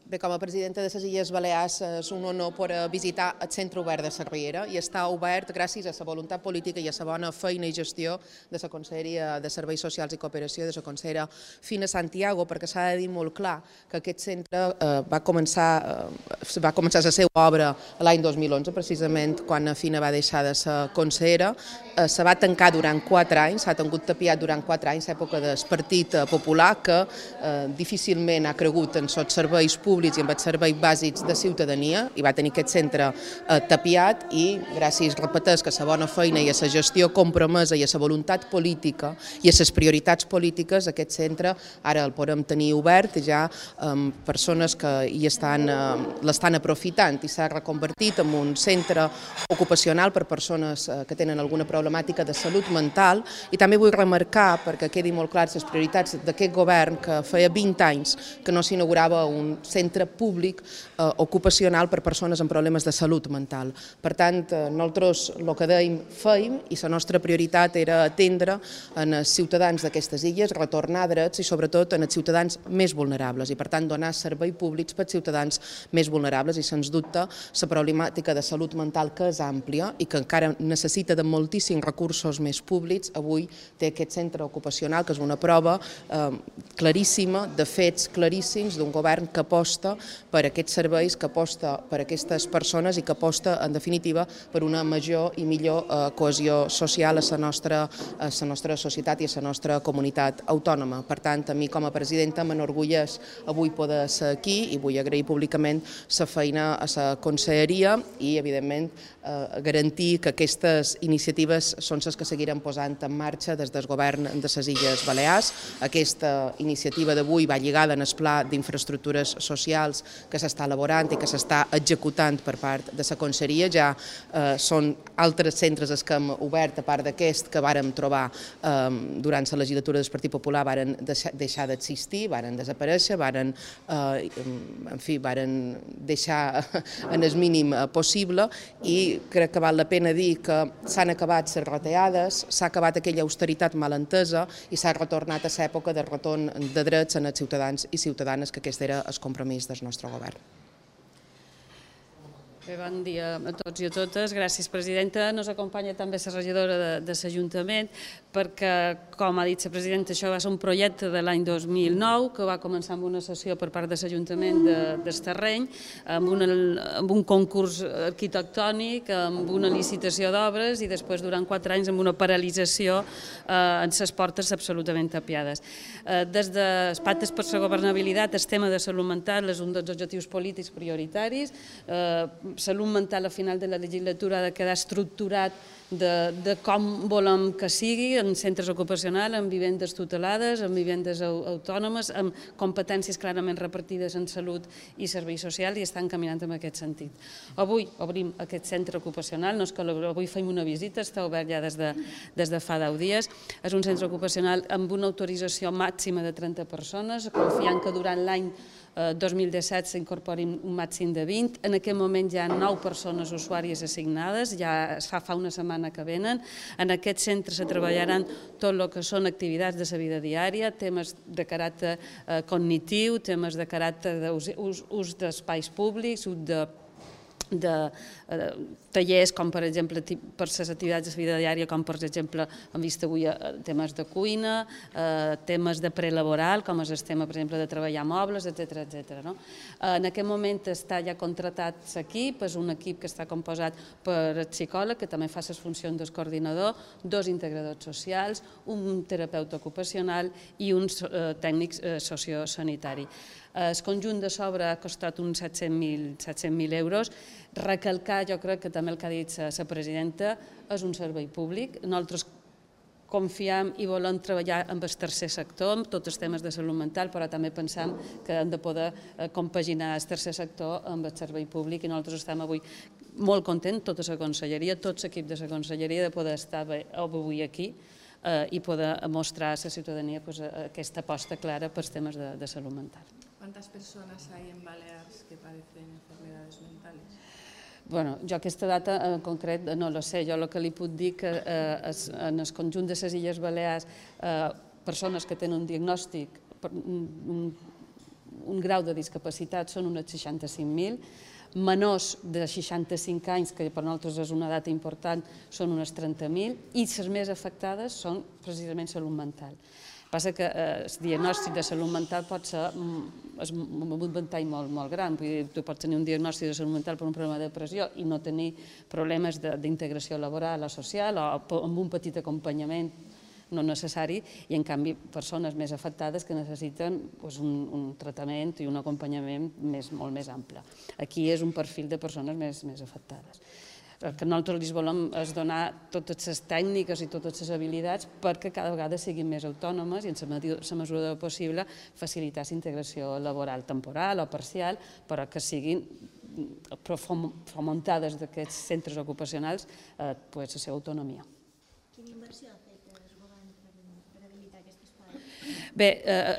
Bé, com a presidenta de les Illes Balears és un honor poder visitar el Centre Obert de Cervellera i està obert gràcies a la voluntat política i a la bona feina i gestió de la Conselleria de Serveis Socials i Cooperació de la consellera Fina Santiago, perquè s'ha de dir molt clar que aquest centre va començar la seva obra l'any 2011, precisament quan Fina va deixar de ser consellera. Se va tancar durant 4 anys, s'ha tingut tapiat durant 4 anys, l'època del Partit Popular, que difícilment ha cregut en els serveis públics i amb els serveis bàsics de ciutadania i va tenir aquest centre tapiat i gràcies, repeteix, que a la bona feina i a la gestió compromesa i a la voluntat política i a les prioritats polítiques aquest centre ara el podem tenir obert ja amb persones que l'estan aprofitant i s'ha reconvertit en un centre ocupacional per persones que tenen alguna problemàtica de salut mental i també vull remarcar, perquè quedi molt clar les prioritats d'aquest govern, que feia 20 anys que no s'inaugurava un centre públic ocupacional per persones amb problemes de salut mental. Per tant, nosaltres el que dèiem feim i la nostra prioritat era atendre en els ciutadans d'aquestes illes, retornar drets i sobretot en els ciutadans més vulnerables i per tant donar serveis públics per als ciutadans més vulnerables i sens dubte la problemàtica de salut mental que és àmplia i que encara necessita de moltíssims recursos més públics, avui té aquest centre ocupacional que és una prova claríssima, de fets claríssims d'un govern que aposta per aquests serveis, que aposta per aquestes persones i que aposta, en definitiva, per una major i millor cohesió social a la nostra societat i a la nostra comunitat autònoma. Per tant, a mi com a presidenta m'enorgulleix avui poder ser aquí i vull agrair públicament la feina a la conselleria i, evidentment, garantir que aquestes iniciatives són les que seguirem posant en marxa des del govern de les Illes Balears. Aquesta iniciativa d'avui va lligada en el pla d'infraestructures socials que s'està elaborant i que s'està executant per part de la conselleria. Ja són altres centres els que hem obert, a part d'aquest que vàrem trobar durant la legislatura del Partit Popular, varen deixar d'existir, varen desaparèixer, varen deixar en el mínim possible i crec que val la pena dir que s'han acabat les retallades, s'ha acabat aquella austeritat mal entesa i s'ha retornat a l'època del retorn de drets en els ciutadans i ciutadanes, que aquest era el compromís del nostre govern. Bon dia a tots i a totes. Gràcies, presidenta. Ens acompanya també la regidora de l'Ajuntament perquè, com ha dit la presidenta, això va ser un projecte de l'any 2009 que va començar amb una sessió per part de l'Ajuntament del terreny, amb un concurs arquitectònic, amb una licitació d'obres i després durant 4 anys amb una paralització en les portes absolutament tapiades. Des dels pactes per la governabilitat, el tema de salut mental és un dels objectius polítics prioritaris. Salut mental a final de la legislatura ha de quedar estructurat de com volem que sigui en centres ocupacionals, en vivendes tutelades, en vivendes autònomes, amb competències clarament repartides en salut i serveis socials i estan caminant en aquest sentit. Avui obrim aquest centre ocupacional, no és que avui fem una visita, està obert ja des de fa 10 dies. És un centre ocupacional amb una autorització màxima de 30 persones, confiant que durant l'any 2017 s'incorporin un màxim de 20. En aquest moment hi ha 9 persones usuàries assignades, ja es fa una setmana que venen. En aquest centre se treballaran tot el que són activitats de la vida diària, temes de caràcter cognitiu, temes de caràcter d'ús d'espais públics, de tallers com per exemple per les activitats de vida diària, com per exemple hem vist avui temes de cuina, temes de prelaboral com és el tema per exemple de treballar mobles, etc. En aquest moment està ja contratat l'equip, és un equip que està composat per el psicòleg que també fa les funcions del coordinador, 2 integradors socials, un terapeuta ocupacional i un tècnic sociosanitari. El conjunt de sobre ha costat uns 700.000 euros. Recalcar, jo crec que també el que ha dit la presidenta, és un servei públic. Nosaltres confiem i volem treballar amb el tercer sector, amb tots els temes de salut mental, però també pensem que hem de poder compaginar el tercer sector amb el servei públic i nosaltres estem avui molt contents, tota la conselleria, tot l'equip de la conselleria, de poder estar avui aquí i poder mostrar a la ciutadania aquesta aposta clara pels temes de salut mental. ¿Cuántas personas hay en Balears que padecen enfermedades mentales? Bueno, jo aquesta data en concret no la sé. Jo el que li puc dir que en el conjunt de les Illes Balears persones que tenen un diagnòstic un grau de discapacitat són unes 65.000, menors de 65 anys, que per nosaltres és una data important, són unes 30.000, i les més afectades són precisament salut mental. Passa que el diagnòstic de salut mental pot ser un ventall molt gran. Tu pots tenir un diagnòstic de salut mental per un problema de depressió i no tenir problemes d'integració laboral o social o amb un petit acompanyament no necessari, i en canvi persones més afectades que necessiten un tractament i un acompanyament molt més ample. Aquí és un perfil de persones més afectades. El que nosaltres els volem és donar totes les tècniques i totes les habilitats perquè cada vegada siguin més autònomes i en la mesura del possible facilitar la integració laboral temporal o parcial, però que siguin fomentades d'aquests centres ocupacionals la seva autonomia. Quina inversió ha fet el govern per habilitar aquest espai? Bé,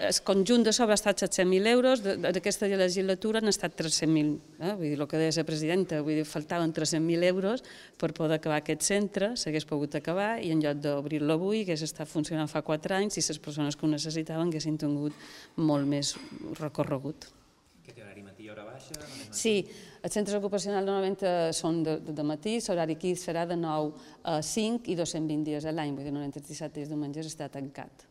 el conjunt de sobre ha estat 700.000 euros, d'aquesta legislatura han estat 300.000, vull dir, el que deia la presidenta, vull dir, faltaven 300.000 euros per poder acabar aquest centre, s'hagués pogut acabar i en lloc d'obrir-lo avui hagués estat funcionant fa 4 anys i les persones que ho necessitaven haguessin tingut molt més recorregut. Que té horari matí i hora baixa? Sí, els centres ocupacionals normalment són de matí, l'horari aquí serà de 9 a 5 i 220 dies a l'any, vull dir, 97 dies diumenges està tancat.